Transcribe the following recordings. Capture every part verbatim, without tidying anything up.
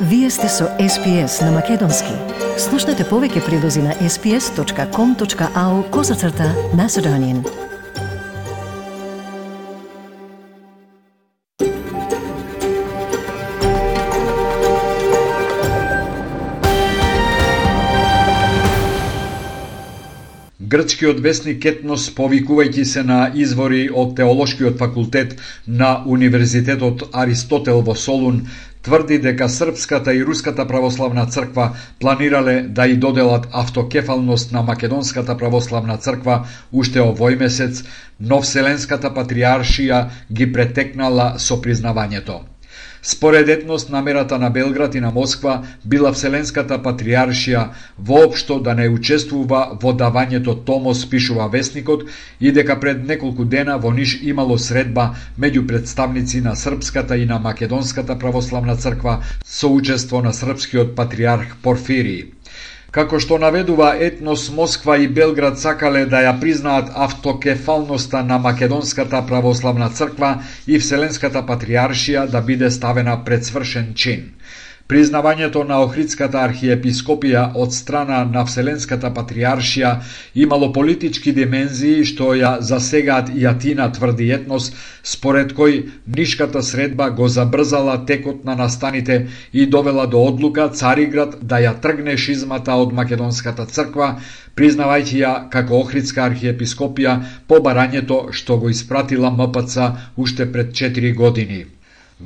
Вие сте со Ес Пи Ес на Македонски. Слушнете повеќе прилози на ес пи ес точка ком точка ау козацрта Macedonian. Грчкиот весник Етнос, повикувајќи се на извори од Теолошкиот факултет на Универзитетот Аристотел во Солун, тврди дека Српската и Руската православна црква планирале да и доделат автокефалност на Македонската православна црква уште овој месец, но Вселенската патриаршија ги претекнала со признавањето. Според Етнос, намерата на Белград и на Москва била Вселенската патриаршија воопшто да не учествува во давањето томос, пишува весникот, и дека пред неколку дена во Ниш имало средба меѓу представници на Српската и на Македонската православна црква со учество на српскиот патриарх Порфирий. Како што наведува Етнос, Москва и Белград сакале да ја признаат автокефалноста на Македонската православна црква и Вселенската патриаршија да биде ставена пред свршен чин. Признавањето на Охридската архиепископија од страна на Вселенската патриаршија имало политички димензии што ја засегаат и Атина, тврди Етнос, според кој Нишката средба го забрзала текот на настаните и довела до одлука Цариград да ја тргне шизмата од Македонската црква, признавајќи ја како Охридска архиепископија по барањето што го испратила М П Ц уште пред четири години.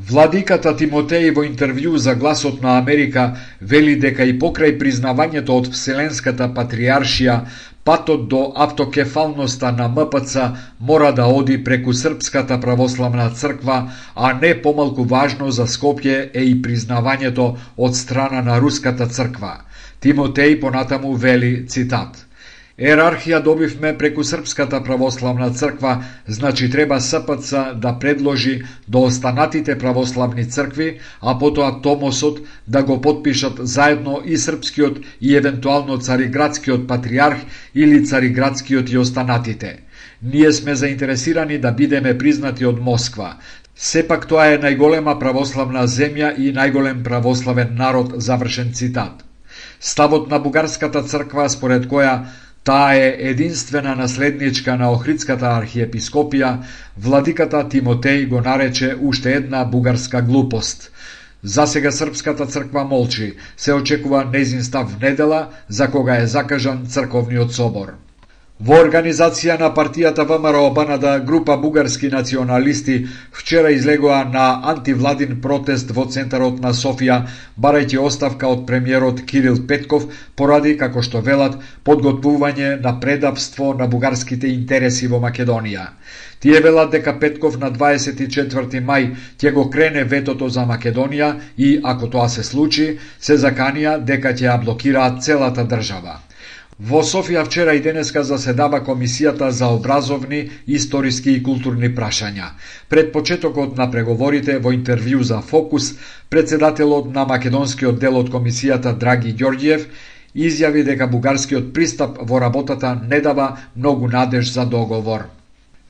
Владиката Тимотеј во интервју за Гласот на Америка вели дека и покрај признавањето од Вселенската патриаршија, патот до автокефалноста на М П Ц мора да оди преку Српската православна црква, а не помалку важно за Скопје е и признавањето од страна на Руската црква. Тимотеј понатаму вели, цитат: Ерархија добивме преку Српската православна црква, значи треба С П Ц да предложи до останатите православни цркви, а потоа томосот да го потпишат заедно и српскиот и евентуално цариградскиот патриарх или цариградскиот и останатите. Ние сме заинтересирани да бидеме признати од Москва. Сепак тоа е најголема православна земја и најголем православен народ, завршен цитат. Ставот на бугарската црква, според која таа е единствена наследничка на Охридската архиепископија, владиката Тимотеј го нарече уште една бугарска глупост. Засега Српската црква молчи, се очекува нејзин став недела, за кога е закажан црковниот собор. Во организација на партијата Вэ Ем Ер О Б Н Д, група бугарски националисти вчера излегоа на антивладин протест во центарот на Софија, барајќи оставка од премиерот Кирил Петков поради, како што велат, подготвување на предавство на бугарските интереси во Македонија. Тие велат дека Петков на дваесет и четврти мај ќе го крене ветото за Македонија и, ако тоа се случи, се заканија дека ќе ја блокираат целата држава. Во Софија вчера и денеска заседава Комисијата за образовни, историски и културни прашања. Пред почетокот на преговорите, во интервју за Фокус, председателот на македонскиот дел од Комисијата Драги Ѓорѓиев изјави дека бугарскиот пристап во работата не дава многу надеж за договор.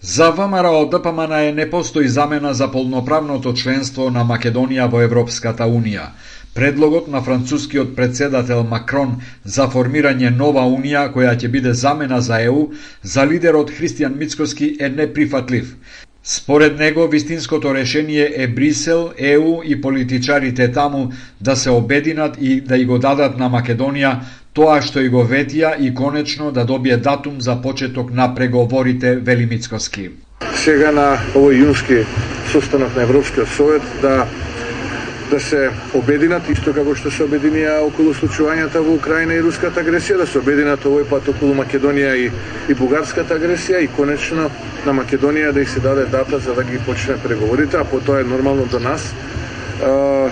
За Вэ Ем Ер О Д П М Н не постои замена за полноправното членство на Македонија во Европската Унија. Предлогот на францускиот председател Макрон за формирање нова унија која ќе биде замена за Е У, за лидерот Христијан Мицкоски е неприфатлив. Според него, вистинското решение е Брисел, Е У и политичарите таму да се обединат и да и го дадат на Македонија тоа што и го ветија и конечно да добие датум за почеток на преговорите, вели Мицкоски. Сега на овој јунски состанок на Европскиот совет да да се обединат, исто како што се обединија околу случувањата во Украина и руската агресија, да се обединат овој пат околу Македонија и, и бугарската агресија и конечно на Македонија да и се даде дата за да ги почне преговорите, а потоа е нормално до нас. А,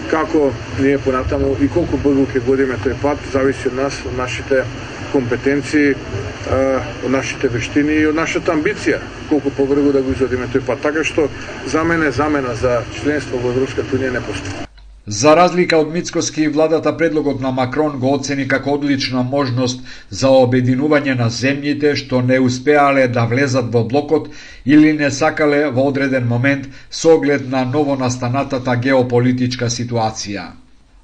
како ние понатаму и колку брзо ќе годиме тој пат, зависи од нас, од нашите компетенции, од нашите вештини и од нашата амбиција, колку побрзо да го изводиме тој пат. Така што за мене замена за членство во Европската унија не постои. За разлика од Мицкоски, владата предлогот на Макрон го оцени како одлична можност за обединување на земјите што не успеале да влезат во блокот или не сакале во одреден момент со оглед на новонастанатата геополитичка ситуација.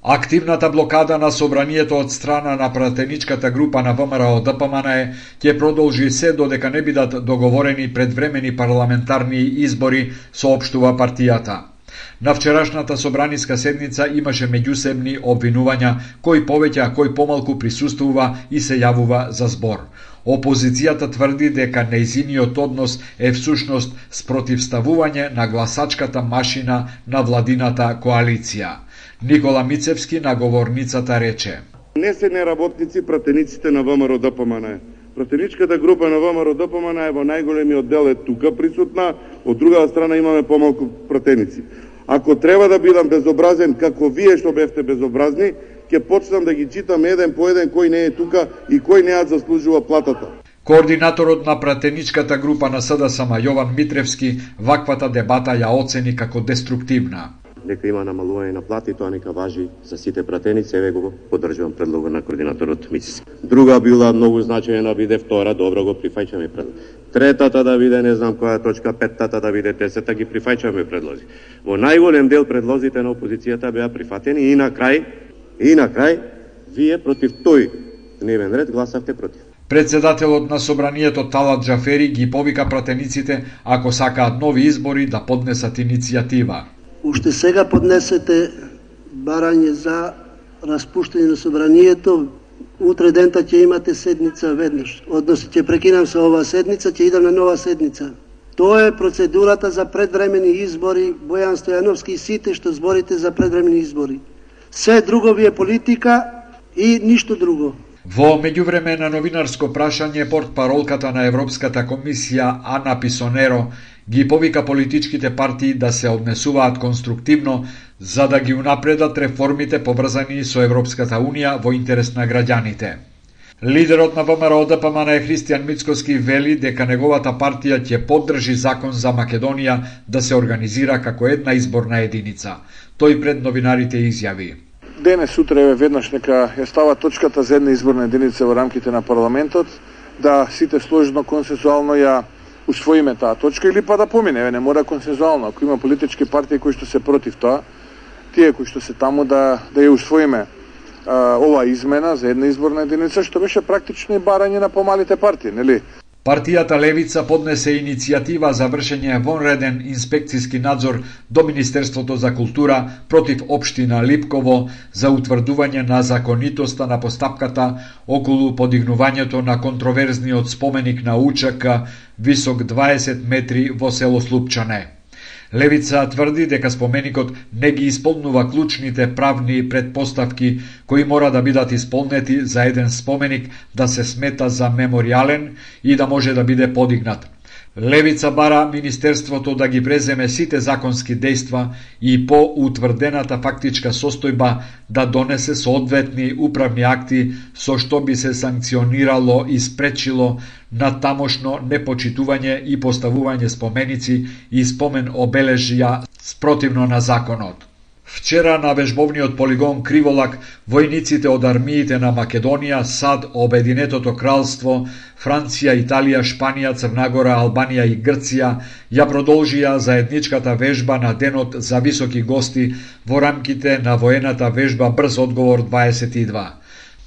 Активната блокада на собранието од страна на пратеничката група на ВМРО Д П М Н ќе продолжи се додека не бидат договорени предвремени парламентарни избори, соопштува партијата. На вчерашната собраниска седница имаше меѓусебни обвинувања, кој повеќе, а кој помалку присуствува и се јавува за збор. Опозицијата тврди дека нејзиниот однос е всушност спротивставување на гласачката машина на владината коалиција. Никола Мицевски на говорницата рече: Не се неработници пратениците на ВМРО Д П М Н. Пратеничката група на ВМРО Д П М Н е во најголемиот дел е тука присутна, од друга страна имаме помалку пратеници. Ако треба да бидам безобразен како вие што бевте безобразни, ќе почнам да ги читам еден по еден кој не е тука и кој не ја заслужува платата. Координаторот на пратеничката група на С Д С М Јован Митревски ваквата дебата ја оцени како деструктивна. Дека има намалување на плати, тоа нека важи за сите пратеници, еве го поддржувам предлогот на координаторот Мицевски. Друга била многу значајна да биде втора, добро го прифаќаме предлог. Третата да биде не знам која точка, петтата да биде десета, ги прифаќаме предлози. Во најголем дел предлозите на опозицијата беа прифатени и на крај, и на крај, вие против тој дневен ред гласавте против. Председателот на собранието Талат Џафери ги повика пратениците, ако сакаат нови избори, да поднесат иницијатива. Уште сега поднесете барање за распуштање на собранието, утре дента ќе имате седница веднаш. Односно ќе прекинам со оваа седница, ќе идам на нова седница. Тоа е процедурата за предвремени избори, Бојан Стојановски и сите што зборите за предвремени избори. Се друго ви е политика и ништо друго. Во меѓувреме на новинарско прашање, портпаролката на Европската комисија Ана Писонеро ги повика политичките партии да се однесуваат конструктивно за да ги унапредат реформите поврзани со Европската Унија во интерес на граѓаните. Лидерот на ВМРО Д П М Н Христијан Мицкоски вели дека неговата партија ќе поддржи закон за Македонија да се организира како една изборна единица. Тој пред новинарите изјави: Денес утре веднаш нека ја става точката за една изборна единица во рамките на парламентот, да сите сложно консенсуално ја усвоиме таа точка или па да помине, не мора консенсуално. Ако има политички партии кои што се против тоа, тие кои што се таму да да ја усвоиме а, оваа измена за една изборна единица, што беше практично и барање на помалите партии, нели? Партијата Левица поднесе иницијатива за вршење вонреден инспекциски надзор до Министерството за култура против општина Липково за утврдување на законитоста на постапката околу подигнувањето на контроверзниот споменик на УЧК висок дваесет метри во село Слупчане. Левица тврди дека споменикот не ги исполнува клучните правни предпоставки кои мора да бидат исполнети за еден споменик да се смета за меморијален и да може да биде подигнат. Левица бара Министерството да ги преземе сите законски дејства и по утврдената фактичка состојба да донесе соодветни управни акти со што би се санкционирало и спречило на тамошно непочитување и поставување споменици и спомен обележја спротивно на законот. Вчера на вежбовниот полигон Криволак војниците од армиите на Македонија, САД, Обединетото кралство, Франција, Италија, Шпанија, Црнагора, Албанија и Грција ја продолжија заедничката вежба на денот за високи гости во рамките на воената вежба Брз одговор дваесет и два.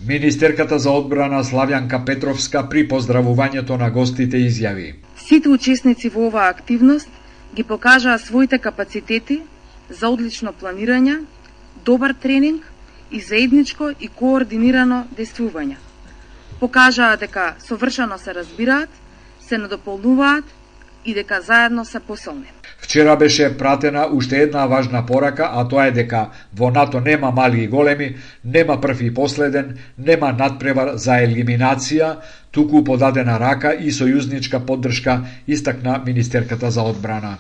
Министерката за одбрана Славјанка Петровска при поздравувањето на гостите изјави: Сите учесници во оваа активност ги покажаа своите капацитети за одлично планирање, добар тренинг и заедничко и координирано действување. Покажаа дека совршено се разбираат, се надополнуваат и дека заедно се посилни. Вчера беше пратена уште една важна порака, а тоа е дека во НАТО нема мали и големи, нема прв и последен, нема надпревар за елиминација, туку подадена рака и сојузничка поддршка, истакна министерката за одбрана.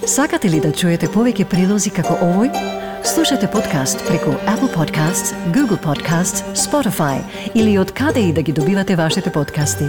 Сакате ли да чуете повеќе прилози како овој? Слушате подкаст преку Apple Podcasts, Google Podcasts, Spotify или од каде и да ги добивате вашите подкасти.